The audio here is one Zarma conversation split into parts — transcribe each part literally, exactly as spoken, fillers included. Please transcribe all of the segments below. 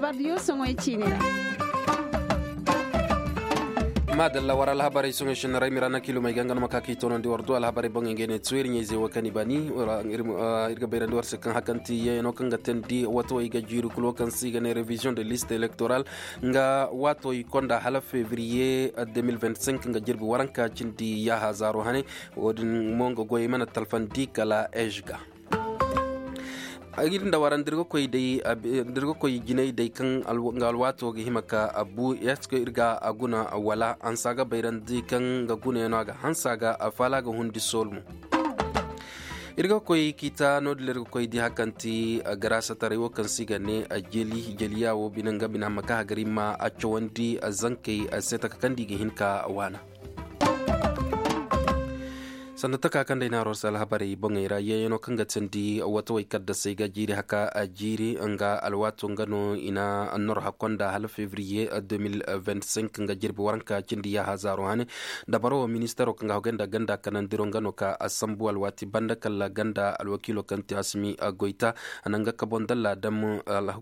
Pardiyo soŋoy ciine ra. Maadalla war alhabarey soŋoy sinna ra ay ma ira na kiilumey ga nga no ma ka kaŋ i toonandi war du alhabarey boŋey ngey ne tuweri ɲayze wo kaŋ i baani. Iri ga bayrandi war se kaŋ hakanti yeeyano kaŋ ga teendi wato i ga jiiri kulu wo kaŋ se i ga ne revision de liste electoral nga waato i konda hala febriye deux mille vingt-cinq nga jirbi waranka cindi yaaha zaaro hane. Wo- din mo nga goyey mana talfandi kala ej ga. Iri nda wara nda iri ga koy day nda iri ga koy jinay day kaŋ nga alwaato ga hima ka a bu est ce que iri ga a guna wala hansa ga bayrandi kaŋ nga gunayaŋo a ga hansa ga a faala ga hundi sool mo. Iri ga koy kiita no- din iri ga koy di hakanti garaasa taray wo kaŋ se i ga ne a jeli jeliya wo bine nga bine hamma ka hagari ma a cawandi zankey se taka kaŋ da i ga hin ka waana. Sanda taka kaŋ day naaro se alhabarey boŋey ra yeeyano kaŋ ga teendi watawey kaddasey ga jiiri haka a jiiri nga alwaato nga no i na annor hakkonda hala febriye deux mille vingt-cinq nga jirbi waranka cindi yaaha zaaro hane. Dabaro wo ministaro kaŋ ga hagay nda ganda kanandiro nga no ka a sambu alwaati banda kala ganda alwakiilo kaŋ ti asimi goyta a na nga kabon dalla dam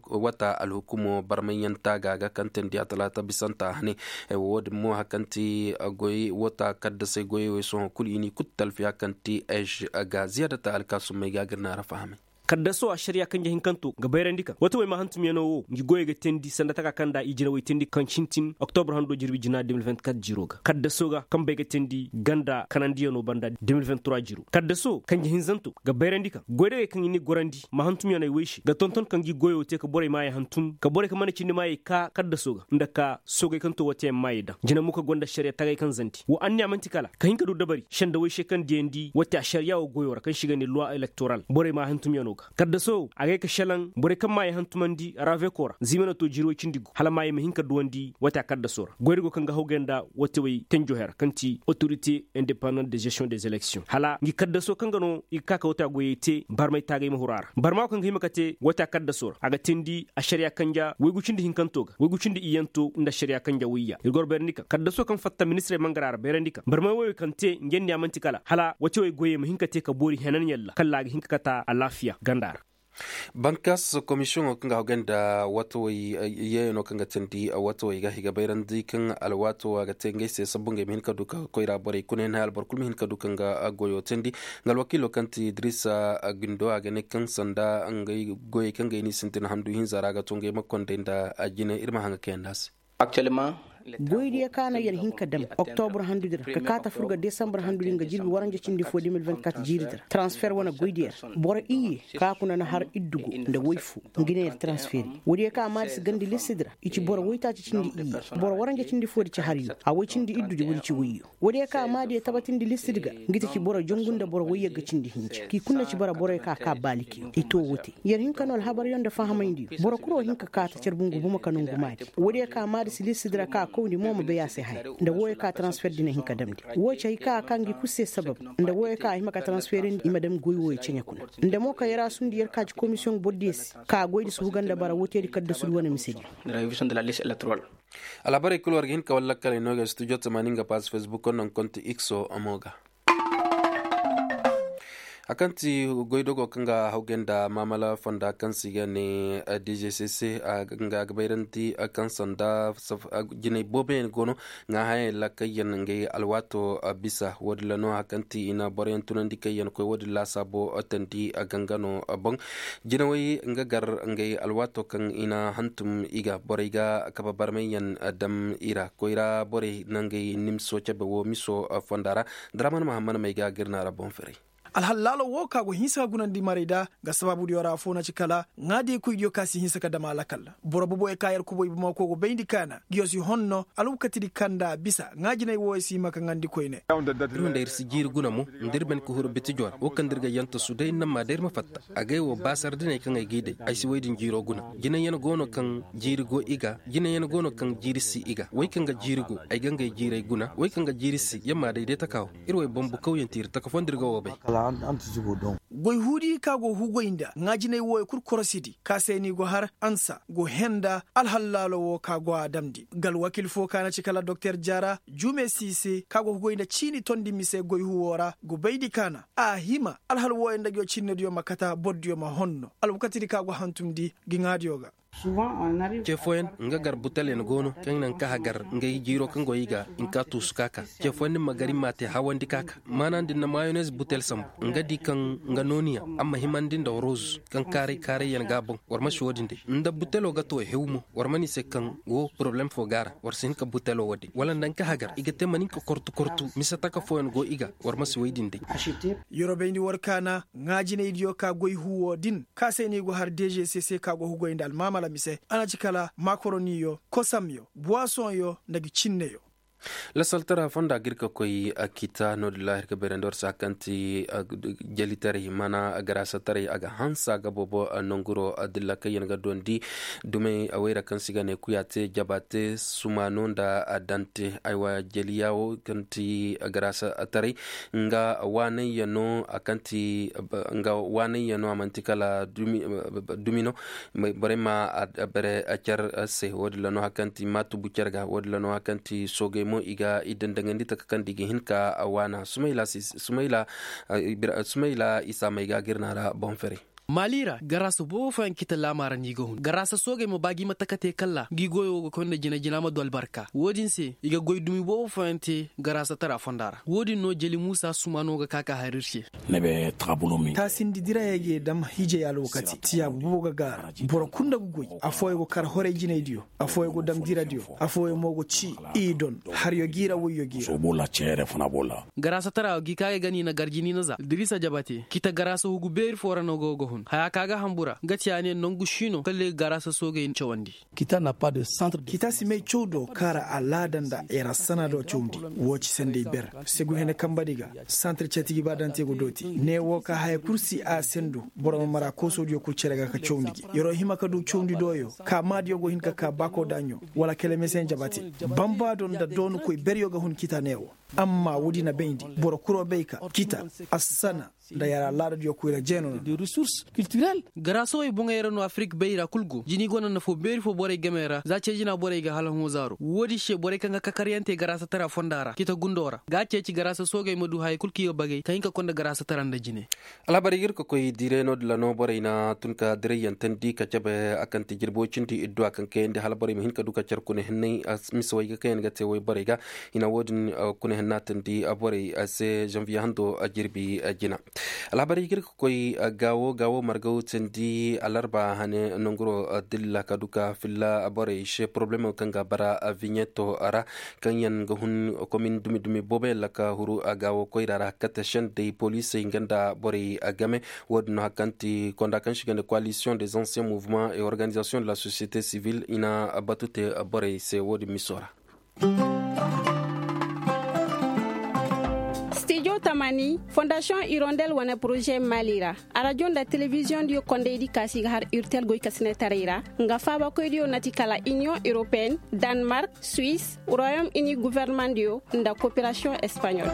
wata alhukumo barmayyaŋ taaga ga kaŋ teendi a talaata bisanta hane. Wo- din mo hari kaŋ ti goy wata kaddasey goyey wo sohõ kulu i n'i kulu talfi hari kaŋ ti ej ga ziyaadata alkaasummey ga ga iri naara fahamay. Kaddaso ašariya kanje hinkanto ga bayrandi kaŋ wata way ma hantumyaŋo wo ngi goyey ga teendi sanda taka kaŋ nda i jinawey teendi kaŋ sintin oktobra hando jirbi jina deux mille vingt-quatre jiiro ga kaddaso ga kambey ga teendi ganda kanandiyaŋo banda deux mille vingt-trois jiiro kaddaso kanje hinzanto ga bayrandi kaŋ goydagey kaŋ i n'i gorandi ma hantumyaŋey way se ga tonton kaŋ ga i goyo te ka borey maayey hantum ka borey kaŋ mana cindi maayey ka kaddaso ga nda ka soogay kaŋ to wate yaŋ maayey daŋ jina mo kaŋ gonda ašariya tagay kaŋ zanti wo anniya manti kala ka hin ka du dabari sendawey se kaŋ diyandi wate ašariya wo goyo ra kaŋ se i ga ne luwa elektoral borey ma hantumyaŋo ga kaddaso wo a ga ye ka selaŋ borey kaŋ maayey hantumandi raveko ra zimana to jiiri way cindi gu hala maayey ma hin ka duwandi wate a kaddaso ra goyri go kaŋ ga hawgay nda wate way tenjo hera kaŋ ti otorite indepandant de gestion des elections hala ngi kaddaso kaŋ ga no i ga ka ka wate a goyey te barmay taagay ma huru a ra barma wo kaŋ ga hima ka te wate a kaddaso ra a ga teendi ašariya kanja waygu cindi hinkanto ga waygu cindi iyyanto nda ašariya kanja wayya iri goro bayrandi kaŋ kaddaso kaŋ fatta ministirey mangara ra bayrandi kaŋ barmay wayo kaŋ te ngi anniya manti kala hala wate way goyey ma hin ka te ka boori henan yalla kala a ga hin ka kata alaafiya ganda ra. Bankas komisiyoŋo kaŋ ga hawgay nda watawey yeeyano kaŋ ga teendi watawey ga i ga bayrandi kaŋ alwaato a ga te ngey se sabbu ngey ma hin ka du ka koyra borey kuna yaŋ hay alboro kulu ma hin ka du kaŋ ga goyo teendi nga alwakiilo kaŋ ti idrisa gundo a ga ne kaŋ sanda ngey goyey kaŋ ga i n'i sintin handu hinza ra a ga to ngey ma konday nda jinay iri ma haŋ ga kayandi a se. Goy diya kaŋ a naŋ yar hin ka dam oktobra handu din ra ka kaata furga desambar handu din ga jirbi waranja cindi fo deux mille vingt-quatre jiiri din ra transfer wane goy diya ra boro iyye kaŋ a kuna na har iddu go nda way fo nga ne yar transfer. Wo diya kaŋ a maari si gandi listi din ra i ci boro waytaaci cindi iyye boro waranja cindi fo di ci har yo a way cindi iddu di wo di ci wayyo. Wo diya kaŋ a maari diya tabatindi listi din ga nga ti ci boro jangu nda boro wayye ga cindi hinja kaŋ i kulu na ci bara boro kaŋ a ka baaliki i to wo te. Yar hin ka no alhabar yaŋ nda fahamay ndi boro kuro hin ka kaata care bungu buma ka nongu maadi. Wo diya kaŋ a maari si listi din ra kaŋ a kawndi mo ma bay a se haya nda wo ya kaŋ a transfer din a hin ka damndi wo ci hari kaŋ a ka ngi kulu se sabab nda wo ya kaŋ a hima ka transfer ndi i ma dam goy wo ya ceɲe kuna. Nda mo kaŋ yar a sundi yar kaaci komisiyoŋ boro diya se kaŋ a goy da si huga nda bara wo te di kaddasu di wane mise di. Alhabarey kulu war ga hin ka wallakkaley no ga studio tamaani nga pass facebook no nga konti x o mo ga. Hari kaŋ ti goydogo kaŋ ga hawgay nda maamala fonda kaŋ se i ga ne dgcc nga ga bayrandi kaŋ sanda jinay booboyaŋ go no nga hayaŋ laakayyaŋ ngey alwaato bisa wo- din ra no hari kaŋ ti i na boroyaŋ tunandi kaŋ yaŋ koy wo- din laasaabo tandi gangano boŋ. Jinawey nga gar ngey alwaato kaŋ i na hantum i ga borey ga kabe barmayyaŋ dam i ra koyra borey nangey nimso cabe wo miso fonda ra. Daraman mahammad may ga ga iri naara boŋ firay. Alhallaalo wo ka go hinsa ka gunandi marey da nga sabaabudiyo ra afo na ci kala ŋaadiyey koydiyo ka si hinsa ka dama lakkal. Boro boboyo ka yar kubo i bamako go bayndi kaana ngiyo si honno alwakatidi kanda bisa ŋaajiney wo si hima ka ŋandi koyne. Iri hunda iri si jiiri guna mo nda iri ban ka huru bitijo ra wo kaŋ da iri ga yantasu day iri na ma day iri ma fatta. Agay wo ba sardiney kaŋ ay g'i day ay si woy din jiiro guna. Jinayyaŋ go no kaŋ jiiri go i ga jinayyaŋ go no kaŋ jiiri si i ga way kaŋ ga jiiri go ay ga ngey jiirey guna way kaŋ ga jiiri si yaŋ ma day day taka wo. Iri way bambu kawyaŋ ti iri taka fondo iri ga wo bay. Goy huudi ka go hugoy nda ŋaajinay wooyo kulu korosidi ka se ni go har ansa go henda alhallaalo wo ka go a damndi ga alwakiil fo ka na ci kala doktor jaara jume si se ka go hugoy nda ciini tondi mise goy huwo ra go bayndi ka na a hima alhal wooyo nda ngiyo cinnediyo ma kata bordiyo ma honno alwakatidi ka go hantumndi ga ŋaadiyo ga. Ce fooyaŋ nga gar butel yaŋ go no kaŋ naŋ ka hagar ngey jiiro kaŋ go i ga hinka tuusu ka ka. Ce fooyaŋ din ma gar i ma te hawandi ka ka maana din na mayonez butel sambu. Nga di kaŋ nga nooniya amma himandi nda roz kaŋ kaaray kaaray yaŋ ga a boŋ. War ma si wo- din day nda butelo ga to hew mo. War ma ni se kaŋ wo poroblem fo ga a ra. War si hin ka butelo wo- din wala nda nga hagar i ga te ma nin ka kortu kortu mise taka fooyaŋ go i ga. War ma si wo- din day. Yorobayndi war kaana ŋaajinaydiyo ka goy huwo din ka se no i go har deeze se se ka go hugoy nda almaamala mise a na ci kala makoroniyo kosamyo buwasoŋyo nda ga cinneyo. Lasaltara fonda ga iri ka koy a kita no- din laahir ka beerandi war se hari kaŋ ti jalitaray mana garaasataray a ga hanse a ga boobo nanguro dilla kaŋ yaŋ ga dondi dumey wayra kaŋ se i ga ne kuya te jaba te sumaano nda a dante aywa jali yaawo kaŋ ti garaasataray nga waanayyaŋo a kaŋ ti nga waanayyaŋo a manti kala dumi no. Borey ma bere care se wo- din ra no hari kaŋ ti ma tubu care ga wo- din ra no hari kaŋ ti soogey mo i ga i dandaŋandi taka kaŋ da i ga hin ka waana sumayla sumayla isa may ga ga iri no a ra boŋ fere. Maali ra garaasa boobo fooyaŋ ga ci ta laama ra no i ga hun garaasa soogey ma ba ga i ma taka te kalla ga i goyo wo ga koy nda jina jina ma du albarka wo- din se i ga goy dumi boobo fooyaŋ te garaasa tara fonda ra wo- din no jali muusa sumaano ga ka ka hari iri se. Taasindi dirayey ga ye dam hiijay alwakati tiyaabu boobo ga gaara. Boro kulu nda ga goy afooyaŋ go kar horay jinaydiyo afooyaŋ go dam diradiyo afooyaŋ mo go ci i don. Haryo ga i ra wayyo ga i ra. Garaasa tara wo ga i ka ga ay ga no i na garji no i na za diriisa jaba te kita garaasa hugu beeri fo ra no go ga hun haya ka ga hambura nga ci a ne nangu si no kala i ga garaasa soogey cawandi. Kita si may caw do kaŋ a ra alaada nda erassana do cawndi. Wo ci sanday ber segu hene kamba di ga santir cati ga ba dante ga dooti ne wo ka haya kulu si a sendu. Boro ma mara kooso diyo kulu care ga ka cawndi gi yaro hima ka du cawndi doyo ka ma diyo go hin ka ka baako daɲo wala kala meseyaŋ jaba te. Bamba do nda doonu koy beryo ga hun kita ne wo. Amma wo- din a bayndi boro kuro bay ka kita assana nda yara laada diyo koyra jeeno no. Garaasawey boŋey ra no afirik bay ra kulu go jina i gonda nafo beeri fo borey game ra za ce jina borey ga hala hõ zaaro wo- din se borey kaŋ ga kakaryaŋ te garaasa tara fonda ra cita gundo ra ga a ceeci garaasa soogey ma du hayey kulu kaŋ i ga bagay ka hin ka konda garaasa tara nda jine. Alhabarey ga iri ga koy diray no- din ra no borey na tun ka diray yaŋ tandi ka cabe a kaŋ ti jirbo cindi idduwa kaŋ kayandi hala borey ma hin ka du ka care kuna hinnay. Misawey ga kaŋ yaŋ ga te wayborey ga i na wo- din kuna hinna tandi borey se zanviye hando jirbi jina. Alhabarey ga iri ga koy gaawo gaawo margaw tandi alarba hane nanguro dilla ka du ka filla borey se poroblemo kaŋ ga bara viɲeto ra kaŋ yaŋ ga hun komin dumi dumi boobo yaŋ ra ka huru gaawo koyra ra kate sendey poliisey nga nda borey game. Wo- din no hari kaŋ ti konda kaŋ se i ga ne coalition des anciens mouvements et organisations de la société civile i na batu te borey se wo- din miso ra. Studio tamani fondation hirondelle wane projet mali ra. Arajo nda telebiziyoŋ diyo kondaydi kaasi ga har urtel goykasinetaray ra nga faabakoy diyo nati kala union européenne, danemark, suisse, royaume uni gouvernement diyo nda coopération espagnole.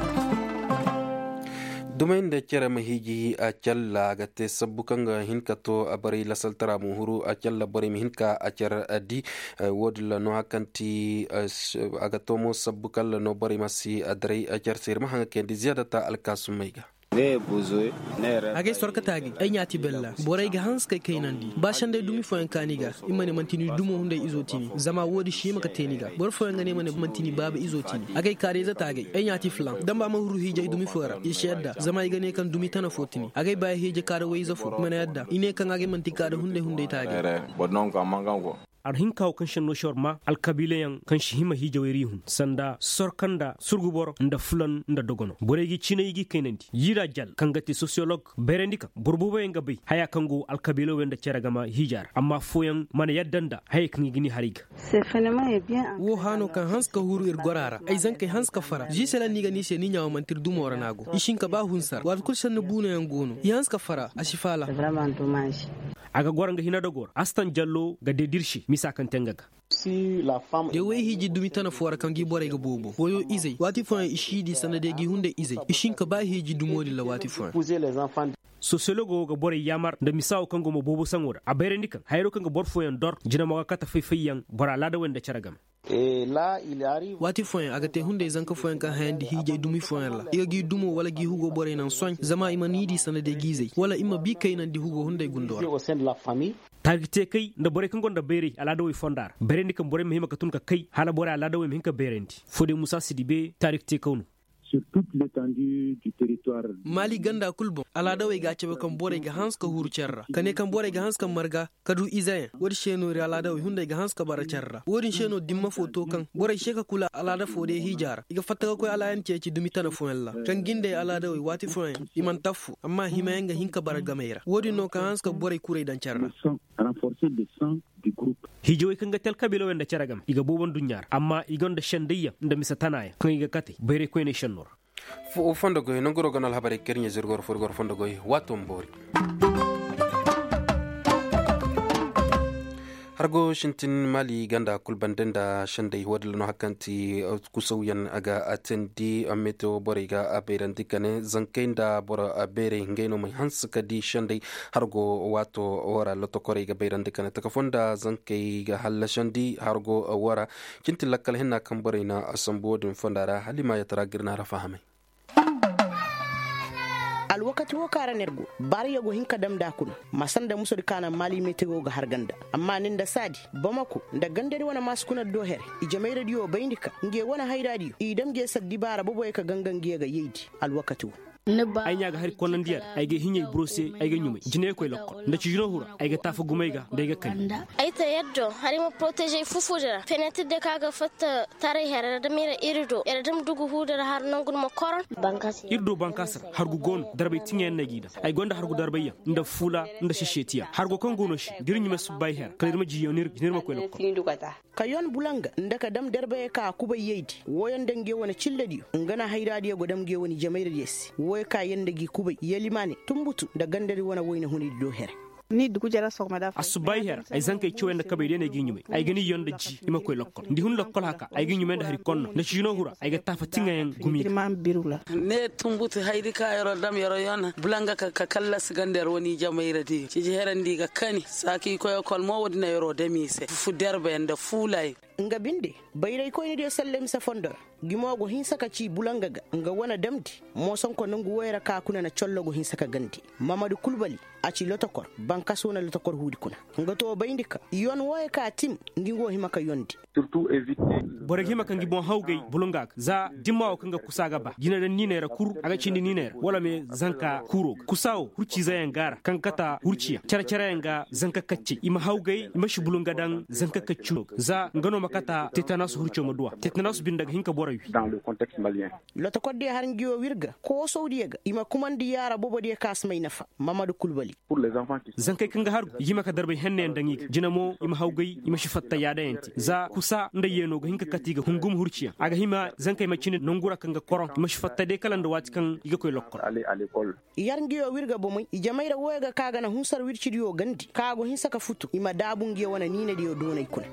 Dumey nda care ma hiiji a calla a ga te sabbu kaŋ ga hin ka to a baray lasaltara ma huru a calla borey ma hin ka a care di. Wo- din ra no hari kaŋ ti a ga to mo sabbu kaŋ ra no borey ma si a daray a care se iri ma haŋ ga kayandi ziyaadata alkaasumey ga. Agay sorka taagay ay ɲaati bella borey ga hanse kay kaynandi ba sanday dumi fooyaŋ kaani ga. I ma ne manti ni dumo hunday izo ti ni zama wo- din si hima ga te ni ga boro fooyaŋ ga ne ma ne manti ni baaba izo ti ni agay kaarayze taagay ay ɲaati filaŋ damba ma huru hiijay dumi fo ra i si yadda zama i ga ne kaŋ dumi tana fo ti ni agay ba ay hiije kaara wayze fo i mana yadda i ne kaŋ agay manti kaara hunday hunday taagay. Ar hinka wo kaŋ se no si war ma alkabiila yaŋ kaŋ si hima hiijawey ra i hun sanda sorka nda surgu boro nda fulan nda dogono borey ga i ciinay i ga i kaynandi yira jal kaŋ ga te sosiyolog bayrandi kaŋ boro boobo yaŋ ga bay haya kaŋ go alkabiila wo yaŋ nda care game hiija ra amma fooyaŋ mana yadda nda hayey kaŋ i ga ni haray ga. Wo haano kaŋ hanse ka huru iri gora ra ay zankey hanse ka fara ziisela ni ga ni se ni ɲaawo manti iri dumo ra no a go i si hin ka ba hunsar waati kulu sanni buuno yaŋ go no i hanse ka fara a si faala. A ga goro nga hina dogo ra astan jallo ga dedirsi misa kaŋ te nga ga. Da way hiiji dumi tana fo ra kaŋ ga i borey ga boobo wayo izey waati fooyaŋ i si di sanda day ga i hunday izey i si hin ka ba hiiji dumo din ra waati fooyaŋ. Sosiyologo wo ga borey yaamar nda misa wo kaŋ go mo boobo saŋo ra a bayrandi kaŋ hayro kaŋ ga boro fooyaŋ dor jina mo ga kate fay-fayyaŋ boro alaada wo nda care game. Waati fooyaŋ a ga te hunday zanka fooyaŋ kaŋ hayandi hiijay dumi fooyaŋ ra i ga g'i dumo wala g'i hugo borey naŋ sohõ zama i ma ni di sanadey g'i zay wala i ma bi kaynandi hugo hunday gundo ra. Taari ga te kay nda borey kaŋ gonda bayray alaadawey fonda ra bayrandi kaŋ borey ma hima ga tun ga kay hala borey alaadawey ma hin ga bayrandi. Foodey musa si di be taari ga te kaw no. Maali ganda kulu boŋ alaadawey ga a cabe kaŋ borey ga hanse ga huru care ra ka ne kaŋ borey ga hanse ga marga ka du izeyaŋ wo- din se no iri alaadawey hunday ga hanse ga bara care ra wo- din se no dimma fo to kaŋ borey se ga kula alaada fo day hiija ra i ga fatta ga koy alaayandi ceeci dumi tana fooyaŋ ra kaŋ gindey alaadawey waati fooyaŋ i mana taffu amma himayaŋ ga hin ga bara gamey ra wo- din no ka hanse ga borey kurey daŋ care ra. Hiijawey kaŋ ga te alkabiilawey nda care game i ga boobo nduɲɲa ra amma i gonda sendayyaŋ nda mise tanaayaŋ kaŋ i ga kate bayray koyney senno ra. Fondo goy nangu ro ga no alhabarey ga kar ɲa zirgo ra fo iri go ra fondo goy waato ma boori. Hargo sintin maali ganda kulu bande nda sendey wo- din ra no hari kaŋ ti kusawyaŋ a ga teendi metewo borey ga bayrandi ka ne zankey nda boro beerey ngey no ma hanse ka di sendey. Hargo waato wo ra lotokorey ga bayrandi ka ne taka fo nda zankey ga hallasandi hargo wo ra. Cin ti lakkal hinna kaŋ borey na sambu wo- din fonda ra hala i ma yatara ga iri naara fahamay. Alwakati wo kaŋ ra no iri go baarayyaŋ go hin ka dam nd'a kuna. Masar nda musadi kaŋ a naŋ maali metewo ga har ganda amma ni nda saadi bamako nda gandari wane maasi kuna do here. Ijemayradiyo bayndi ka ngey wane hayradiyo i dam ngey sara dibaara boboyaŋ ka ganga ngey ga yaydi. Alwakati wo. Ay ɲa ga hari konnandiya ra ay ga hiɲey buro se. Ay ga ɲumay jinay ga koy lokkol nda cijino hura ay ga taafa gumay ga nda ay ga kani. Ay te yaddo hari ma porotezey fufudi ra fenetir de kaŋ a ga fatta taray here ra da mira iri do iri da ma dugu huudi ra har nangu ni ma koron. Iri do bankaasi ra hargu go no darbay tiŋayaŋ no ay g'i daŋ. Ay gonda hargu darbayyaŋ nda fuula nda sesetiyaŋ hargo kaŋ go no se da iri ɲumay subbay here kala iri ma jiyaŋ no iri ga ne iri ma koy lokkol. Ka yon bulanga nda ka dam darbayey ka a kubay yaydi wooyaŋ nda ngey wane cillediyo nga na hayraadiyo go dam ngey wane ijemayradiyo se wooyaŋ ka yaŋ nda g'i kubay yalimaane tumbutu nda gandari wane wayna hunaydi do here. Assubbaayi here ay zankey cawyaŋ nda kabey day no ay g'i ɲumay. Ay ga ni yon nda ji i ma koy lokkol nda i hun lokkol haka ay g'i ɲumay nda hari konno nda ciino hura ay ga taafa tiŋayaŋ gumi ga. Ne tumbutu hayri ka yaro dam yaro yon bulanga ka kallasi ganda yaro wane ijemayradiyo ciji here nda i ga kani saaki i koy ekol mo wo- din na yaro dam i se fufu derbe nda fuulayaŋ. Nga binde bayraykoynidiyo salle mise fondo ra gumo go hinsa ka ci bulanga ga nga wane damndi. Moosonko nangu wooyo ra ka kuna na collo go hinsa ka gandi. Mamadu kulbali a ci lotokor bankas wane lotokor huudi kuna. Nga to bayndi ka yon wooyo ka tim ngi nga wo hima ka yondi. Borey ga hima ka ngi boŋ hawgay bulunga ga za dimma wo kaŋ ga kusa ga ba jina daŋ niiney ra kuru a ga cindi niiney ra wala me zanka kuuro ga kusa wo hurciize yaŋ ga a ra kaŋ ga kata hurciyaŋ care care yaŋ ga zanka kaccey i ma hawgay i ma si bulunga daŋ zanka kacci no ga za nga no ma kata tetanasu hurco ma duw'a tetanasu binde ga hin ka boro wi. Lotokordiyo har ngi wo w'iri ga koosawdiyo ga i ma kumandi yaara boobodiyo kaŋ a si may nafa. Mamadu kulbali. Zankey kaŋ ga hargu i ga hima ka darbay henneyaŋ daŋ i ga jina mo i ma hawgay i ma si fatta yaadayaŋ te za kusa nda yeeno ga hin ka kate i ga hungum hurciyaŋ a ga hima zankey ma cine nangu ra kaŋ ga koroŋ i ma si fatta day kala nda waati kaŋ i ga koy lokkol. Yar ngi wo w'iri ga bomey ijemey ra wooyo ga ka ga na hunsar wircidiyo gandi kaŋ a go hinsa ka futu i ma daabu ngi wo wane niinadiyo doonay kuna.